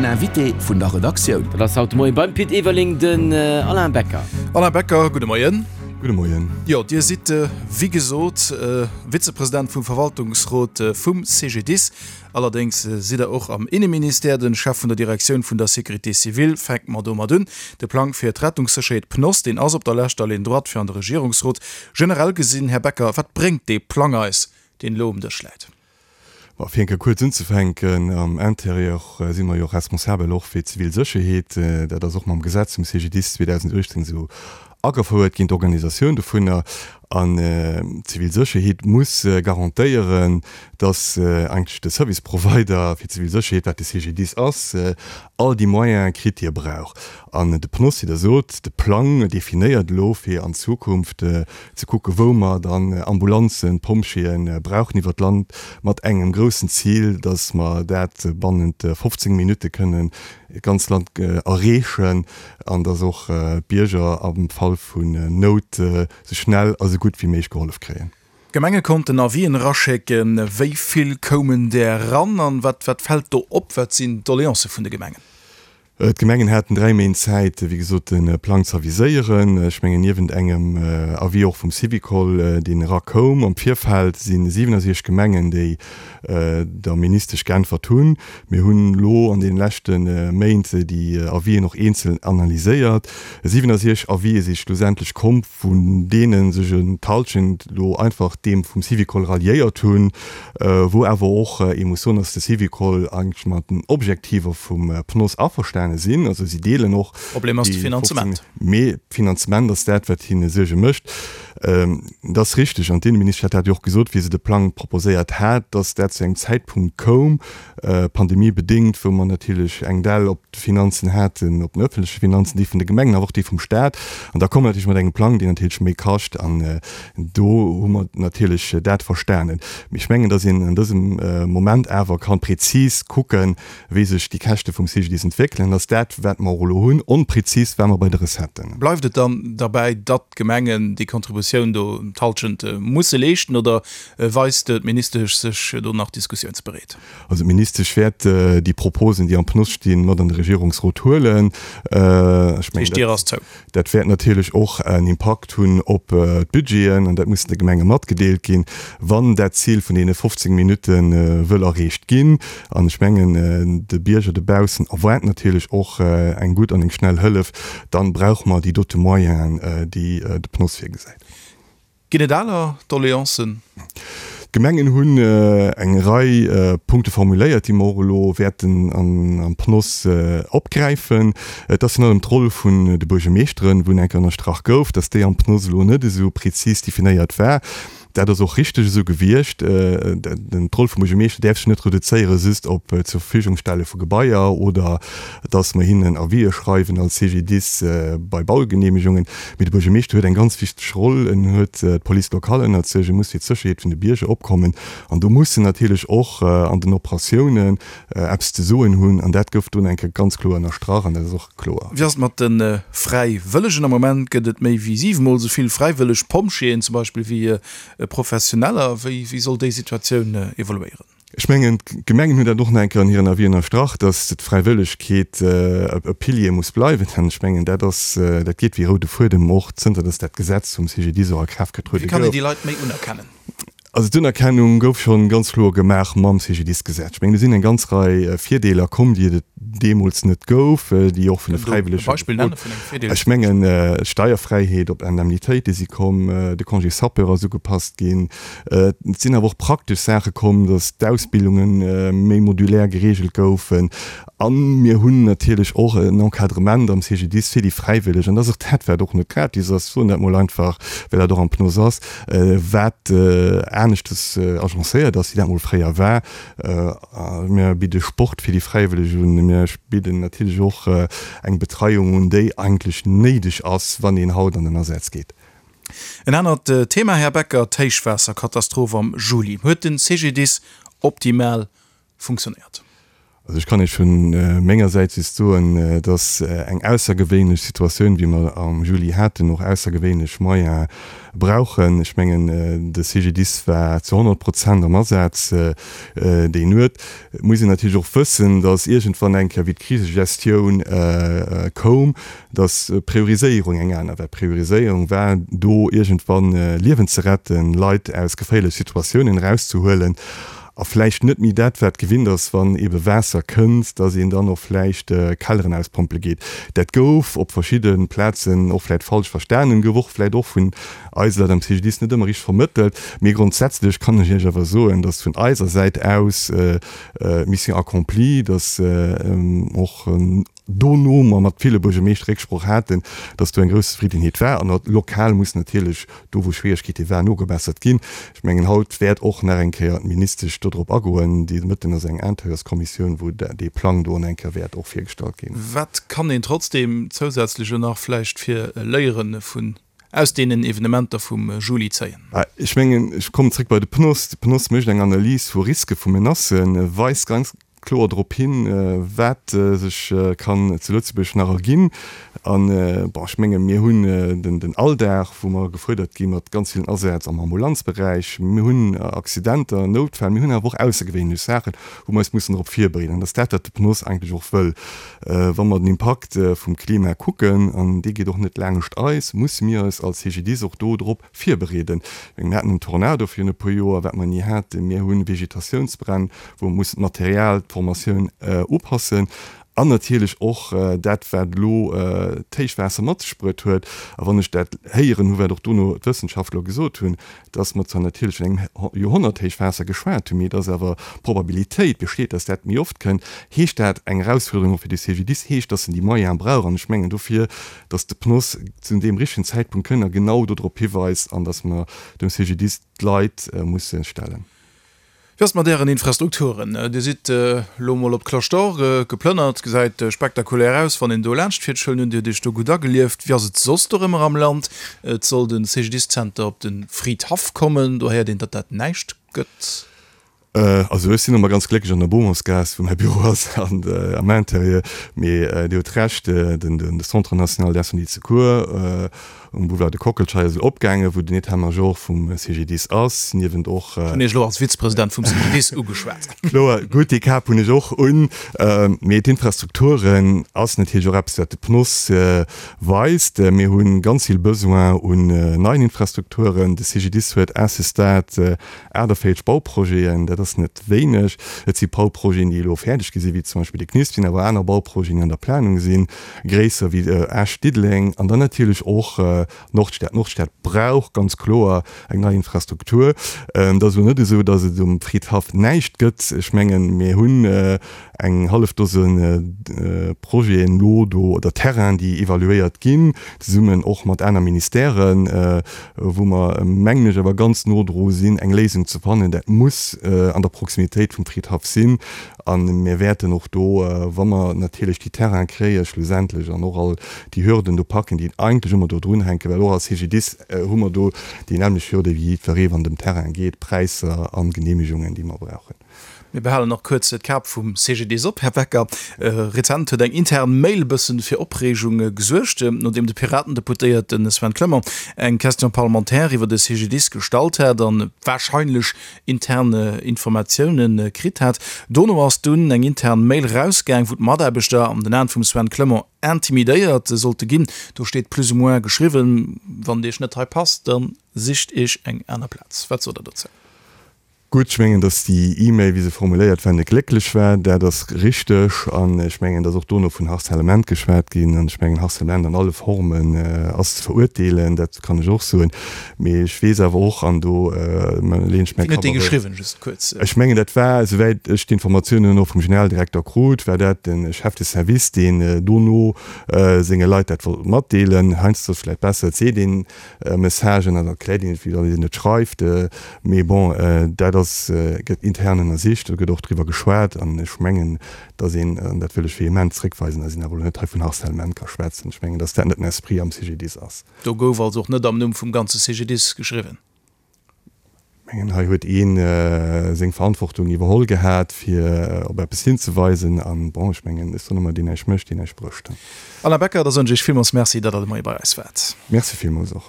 Den Invité vun der Redaktioun. Dat ass haut de Moien beim Pit Everling den Alain Becker. Alain Becker, gudde Moien. Gudde Moien. Jo, Dir sidd wéi gesot Vizepresident vum Verwaltungsrot vum CGDIS. Allerdéngs sidd Der och am Inneministère den Chef vun der Direktioun vun der Sécurité civile. Fänke mer domat un. De Plang fir d'Rettungssécherheet, PNOS, deen ass op der leschter Ligne droite fir an de Regierungsrot. Generell gesinn, Här Becker, wat bréngt dee Plang eis, deen elo um Dësch läit? Bon, fir eng Kéier kuerz unzefänken, Am Intérieur si mer jo och responsabel och fir d'zivil Sécherheet. Dat ass och mam Gesetz vum CGDIS 2018 esou agefouert ginn, d'Organisatioun dovunner. An d'zivil Sécherheet muss garantéieren, dass eigentlech de Service Provider fir d'zivil Sécherheet, wat de CGDIS ass, all déi Moyene kritt, déi e brauch. An de PNOS, wéi Der sot, de Plang definéiert elo, fir an Zukunft ze kucken, wou mer dann Ambulanzen, Pompjeeë brauchen iwwert d'Land, mat engem groussen Zil, dass mer dat bannent 15 Minutte kënnen d'ganz Land erreechen an dass och d'Bierger am Fall vun Nout sou schnell a sou gutt wéi méiglech gehollef kréien. D'Gemenge konnten Avisen eraschécken. Wéi vill koumen där eran an wat fält do op? Wat sinn d'Doleancë vun de Gemengen? D'Gemengen haten 3 Méint Zäit, wéi gesot, de Plang ze aviséieren. Ech mengen, niewent engem Avis och vum Syvicol, deen erakoum am Virfeld, si 67 Gemengen, déi der Ministesch geäntwert hunn. Mir hunn elo an deene leschte Méint déi Avisen och eenzel analyséiert. 67 Avisen si schlussendlech komm. vun deene sech en d'Halschent elo einfach deem vum Syvicol ralliéiert hunn, wou awer och ee muss soen, dass de Syvicol eigentlech mat den Objektiver vum PNOS averstane sinn. Also si deelen och Problem ass de Finanzement. Mee d'Finanzement ass dat, wat hinne Suerge mécht. Et ass richteg, an d'Inneministesch hat dat jo och gesot, wéi se de Plang proposéiert hat, dass dat zu engem Zäitpunkt koum, pandemiebedéngt, wou mer natierlech eng Dell op de Finanzen haten, op den öffentleche Finanzen, déi vun de Gemengen, awer och déi vum Stat. An da komme mer natierlech mat engem Plang, deen natierlech méi kascht. An do hu mer natierlech dat verstanen. Mee ech mengen, datt een an dësem Moment awer ka prezis kucken, wéi sech déi Käschte vum CGDIS entwéckelen. An ass dat, wat mer och elo hunn, onprezis war mer bei de Recetten. Bleift et dann derbäi, datt d'Gemengen déi Contributioun do d'Halschent musse leeschten, oder Weist d'Ministesch sech do nach diskussiounsbereet? Also d'Ministesch wäert déi Proposen, déi am PNOS stinn, mat an de Regierungsrot huelen. Ech mengen, D'Dier ass zou. dat wäert natierlech och en Impakt hunn op d'Budgeten an dat muss de Gemenge matgedeelt ginn, wann dat Zil vun deene 15 Minutte wëll erreecht ginn. An ech mengen, de Bierger dobaussen erwaart natierlech och eng gutt an eng schnell Hëllef. Dann brauche mer déi dote Moyenen, déi de PNOS virgesäit. Ginn et aner Doleancen? D'Gemengen hunn eng Rei Punkte formuléiert, déi mer och elo wäerten am PNOS opgräifen. Et ass virun allem d'Roll vun de Buergermeeschteren, wou enk ënnerstrach gouf, dass déi am PNOS elo net esou prezis definéiert war. Dat ass och richteg esou gewiescht. D'Roll vum Buergermeeschter däerf sech net reduzéiere just op d'Zurverfügungstelle vu Gebaier oder dass mer hinnen Avisë schreiwen als CGDIS bei Baugenehmegungen. Mee de Buergermeeschter huet eng ganz wichteg Roll. En huet d'Police locale ënnert sech, e muss fir d'Sécherheet vun de Bierger opkommen an do muss en natierlech och an den Operatiounen eppes ze soen hunn. An dat gouf do eng Kéier ganz kloer ënnerstrach an dat ass och kloer. Wéi ass et mat de Fräiwëllegen? Am Moment gëtt et méi wéi siwemol esou vill fräiwëlleg Pompjeeën zum Beispill wéi Professioneller. Wéi soll déi Situatioun evoluéieren? Ech mengen, d'Gemengen hunn dat och nach eng Kéier an hiren Avis ënnerstrach, dass d'Fräiwëllegkeet e Pilier muss bleiwen. An ech mengen, dat ass, dat geet wéi roude Fuedem och zënter dass dat Gesetz vum CGDIS och a Kraaft getruede Wéi kann een déi Leit méi unerkennen? Also d'Unerkennung gouf schonn ganz kloer gemaach mam CGDIS-Gesetz. Ech mengen, do sinn eng ganz Rei Virdeeler komm, déi et deemools net gouf, déi och vun de Fräiwëllege. Beispill nenne vun engem Virdeel? Ech mengen, d'Steierfräiheet op Indemnitéite si komm, de Congé sapeur ass ugepasst ginn. Et sinn awer och praktesch Saache komm, datt d'Ausbildunge méi modulär gereegelt goufen. A mir hunn natierlech och en Encadrement am CGDIS fir déi Fräiwëlleg. An dat ass och dat, wat och net gratis ass, soen dat mol einfach, well dat och am PNOS ass, wat aneschtes agencéiert ass, wéi dat mol fréier war. Mir bidde Sport fir déi Fräiwëlleg un. Mir bidden natierlech och eng Betreiung un, déi eigentlech néideg ass, wann een haut an den Asaz geet. En anert Thema, Här Becker, d'Héichwaasserkatastroph am Juli. Huet den CGDIS optimal funktionéiert? Also ech kann Iech vu menger Säit just soen, dass eng aussergewéinlech Situatioun, wéi mer am Juli haten, och aussergewéinlech Moyene brauchen. Ech mengen, de CGDIS war zu 100 Prozent am Asaz déi Nuet. Et muss een natierlech och wëssen, dass iergendwann eng Kéier, wéi d'Krisegestioun koum, dass d'Prioriséierung eng aner war. D'Prioriséierung war do iergendwann Liewen ze retten, Leit aus geféierleche Situatiounen erauszehuelen a vläicht net méi dat, wat gewinnt ass, wann eebe Waasser kënnt, dass een dann och vläicht Kelleren auspompele geet. Dat gouf op verschidde Plazen och vläicht falsch verstanen, gouf och vläicht och vun eise Leit am CGDIS net ëmmer richteg vermëttelt. Mee grondsätzlech kann ech Iech awer soen, dass vun eiser Säit aus Mission accomplie, dass och dono mer mat ville Buergermeeschter Récksproch haten, dass do eng grouss Zefriddenheet war. An lokal muss natierlech do, wou Schwieregkeete waren, nogebessert ginn. Ech mengen, haut wäert och nach eng Kéier d'Ministesch dodrop agoen. De Mëtten ass eng Intérieurskommissioun, wou dee Plang do an eng Kéier wäert och virgestallt ginn. Wat kann een trotzdeem zousätzlech elo nach vläicht fir Léiere vun aus deenen Evenementer vum Juli zéien? Ech mengen, ech kommen zréck bei de PNOS. De PNOS mécht eng Analys vu Riske vu Menacen, weist ganz kloer drop hin, wat sech kann zu Lëtzebuerg nach erginn. An, bon, ech menge mir hunn den Alldag, wou mer gefuerdert gi mat ganz villen Asätz am Ambulanzberäich. Mir hunn Accidenter, Noutfäll, mir hunn awer och aussergewéinlech Saachen, wou mer eis mussen drop virbereeden. An dat ass dat, wat de PNOS eigentlech och wëll. Wa mer den Impakt vum Klima kucken, an dee geet och net laangscht eis, musse mir eis als CGDIS och do drop virbereeden. Mir haten en Tornado virun e puer Joer, wat mer ni haten. Mir hu Vegetatiounsbränn, wou mer mussen d'Material, d'Formatioun upassen. An natierlech och dat, wat elo d'Héichwaasser mat sech bruet huet. A wann ech dat héieren hu, wat och dono d'Wëssenschaftler gesot hunn, dass mer zwar natierlech vun engem Joerhonnerthéichwaasser geschwat hunn, mee dass awer d'Probabilitéit besteet, dass dat méi oft kënnt, heescht dat eng Erausfuerderung och fir de CGDIS, heescht, dass en déi Moyene brauch. An ech mengen dofir, dass de PNOS zu deem richtegen Zäitpunkt kënnt a genau dodrop hiweist an dass mer dem CGDIS d'Leit musse stellen. Wéi ass et mat Ären Infrastrukturen? Dir sidd elo mol op d'Cloche d'Or geplënnert, gesäit spektakulär aus, wann een do laanscht fiert. Ech huelen un, Dir hutt Iech do gutt agelieft. Wéi ass et soss dorëmmer am Land? Et soll de CGDIS-Zenter op de Fridhaff kommen, do héiert een, datt dat näischt gëtt. Also ech sinn ëmmer ganz glécklech an der Beaumontsgaass, wou mäi Büro ass, an am Intérieur. Mee Dir hutt Recht, den Centre national d'incendie et de secours um Boulevard de Kockelscheier ass elo opgaangen, wou den État-major vum CGDIS ass, niewent och. Ech hunn Iech elo als Vizepresident vum CGDIS ugeschwat. Kloer, gutt, déi Kap hunn ech och un. Mee d'Infrastrukturen ass natierlech och eppes, wat de PNOS weist. Mir hu ganz vill Besoin un neien Infrastrukturen. De CGDIS huet à ce stade 48 Bauprojeten, dat ass net wéineg. Et si Bauprojeten, déi elo fäerdeg gi sinn, wéi zum Beispill de CNIS, et sinn awer aner Bauprojeten, déi an der Planung sinn, gréisser wéi Esch-Diddeleng an dann natierlech och Nordstad. Nordstad brauch ganz kloer eng nei Infrastruktur. Et ass elo net esou, datt et um Fridhaff näischt gëtt. Ech mengen, mir hunn eng hallef Dose Projeten elo do oder Terrainen, déi evaluéiert ginn, zesummen och mat aner Ministèren, wou mer, mengen ech, awer ganz no dru sinn, eng Léisung ze fannen. Dat muss an der Proximitéit vum Fridhaff sinn. A mir wäerten och do, wa mer natierlech déi Terraine kréie schlussendlech an och all déi Hürden do packen, déi eigentlech ëmmer do drunhänken, well och als CGDIS hu mer do déi nämmlecht Hürde wéi jiddweree, wann et ëm Terraine geet, Präisser a Genehmegungen, déi mer brauchen. Mir behalen nach kuerz d'Kap vum CGDIS op, Här Becker. Rezent huet eng intern Mail e bëssen fir Opreegung gesuergt, nodeem de Piraten-Deputéierte Sven Clement eng Question parlementaire iwwer de CGDIS gestallt hat an warscheinlech intern Informatioune kritt hat. Dono ass dunn eng intern Mail rausgaang, wou d'Mataarbechter an den Aen vum Sven Clement intimidéiert sollte ginn. Do steet plus ou moins geschriwwen, Wann et Iech net hei passt, da sicht Iech eng aner Plaz. Wat sot Der dozou? Gutt, ech mengen, datt déi E-Mail, wéi se formuléiert war, net glécklech war. Dat ass richteg. An ech mengen, datt och dono vun Harcèlement geschwat ginn. An ech mengen, Harcèlement an alle Formen ass ze verurteelen, dat kann ech och soen. Mee ech weess awer och, an do leeën ech mäi Wien huet déi geschriwwen, just kuerz? Ech mengen, dat war, esouwäit ech d'Informatiounen och vum Generaldirekter krut, war dat de Chef de service, deen dono senge Leit dat wollt matdeelen. Heiansdo ass et vläicht besser, et seet een Messagen an erkläert een et, wéi wann een et schreift. Mee bon, dat ass, gëtt intern ënnersicht, do gëtt och driwwer geschwat. An ech mengen, datt een, an dat wëll ech vehement zréckweisen, datt een awer elo net hei vun Harcèlement ka schwätzen. Ech mengen, datt dat net den Esprit am CGDIS ass. Do gouf also och net am Numm vum ganze CGDIS geschriwwen? Mengen, hei huet ee seng Verantwortung iwwerholl gehat, fir op eppes hinzeweisen. An, bon, ech mengen, ech soen ëmmer, deen näischt mécht, deen näischt brécht. Alain Becker, da soen ech Iech villmools Merci, datt Der de Moie bei eis waart. Merci villmools och.